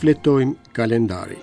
Shfletojmë kalendarin.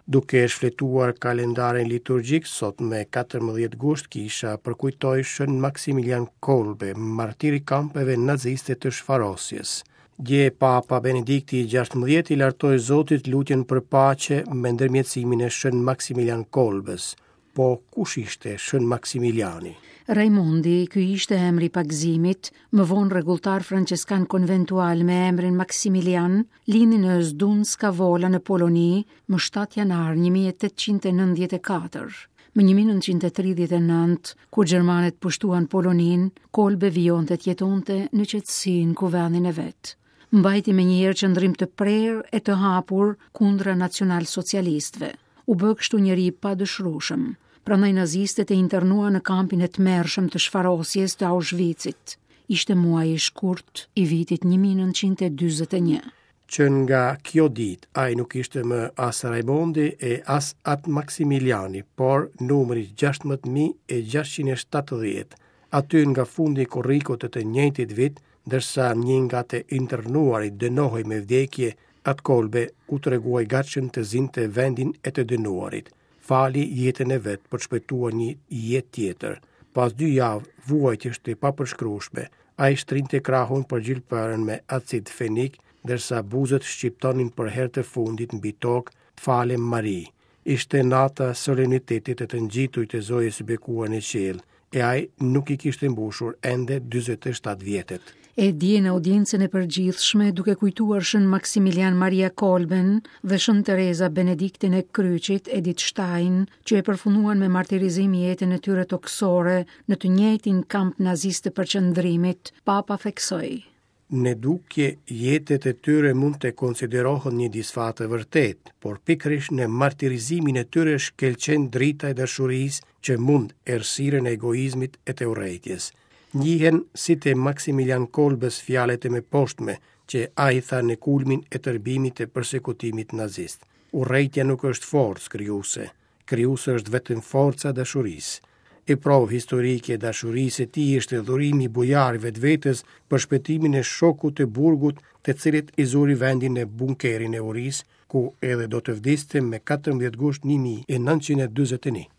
Duke shfletuar kalendarin liturgjik, sot me 14 gusht kisha përkujtoi Shën Maksimilian Kolbe, martir i kampeve naziste të shfarosjes. Dje Papa Benedikti i 16 i lartoi Zotit lutjen për paqe me ndërmjetësimin e Shën Maksimilian Kolbës. Po kush ishte Shën Maksimiliani? Rajmundi, ky ishte emri i pagëzimit, më vonë rregulltar françeskan konventual me emrin Maksimilian, lindi në Zdunska Vola në Poloni më 7 janar 1894. Më 1939, kur gjermanët pushtuan Poloninë, Kolbe vijonte të jetonte në qetësi në kuvendin e vet. Mbajti menjëherë qëndrim të prerë e të hapur kundra nacionalsocialistëve. U bë kështu njeri i padëshirueshëm. Prandaj nazistët e internuan në kampin e tmerrshëm të shfarosjes të Auschwitzit. Ishte muaji shkurt i vitit 1941. Që nga kjo ditë, ai nuk ishte më as Rajmondi e as At Maksimiliani, por numri 16670. Aty nga fundi i korrikut të të njëjtit vit, ndërsa një nga të internuarit dënohej me vdekje, At Kolbe u tregua i gatshëm të zinte vendin e të dënuarit. Fali jetën e vet për të shpëtuar një jetë tjetër. Pas dy javë vuajtjesh të papërshkrueshme, ai shtrinte krahun për gjilpërën me acid fenik, ndërsa buzët shqiptonin për herë të fundit mbi tokë, Të falem Mari. Ishte nata e solemnitetit të të ngjiturit të Zojës së Bekuar në qiell, e ai nuk i kishte mbushur ende 47 vjetët. E dje në audiencën e përgjithshme, duke kujtuar Shën Maksimilian Maria Kolben dhe Shën Tereza Benedikten e Kryqit, Edith Stein, që e përfunduan me martirizim jetën e tyre tokësore në të njëjtin kamp nazist të përqendrimit, Papa theksoi. Në dukje, jetët e tyre mund të konsiderohen një disfatë e vërtetë, por pikërisht në martirizimin e tyre shkëlqen drita e dashurisë që mund errësirën e egoizmit e të urrejtjes. Njihen si të Maksimilian Kolbës fjalët e mëposhtme që ai tha në kulmin e tërbimit të persekutimit nazist. Urrejtja nuk është forcë krijuese. Krijuese është vetëm forca e dashurisë. E provë historike e dashurisë së tij ishte dhurimi bujar i vetvetes për shpëtimin e shokut të burgut të cilit i zuri vendin në bunkerin e urisë, ku edhe do të vdiste me 14 gusht 1941.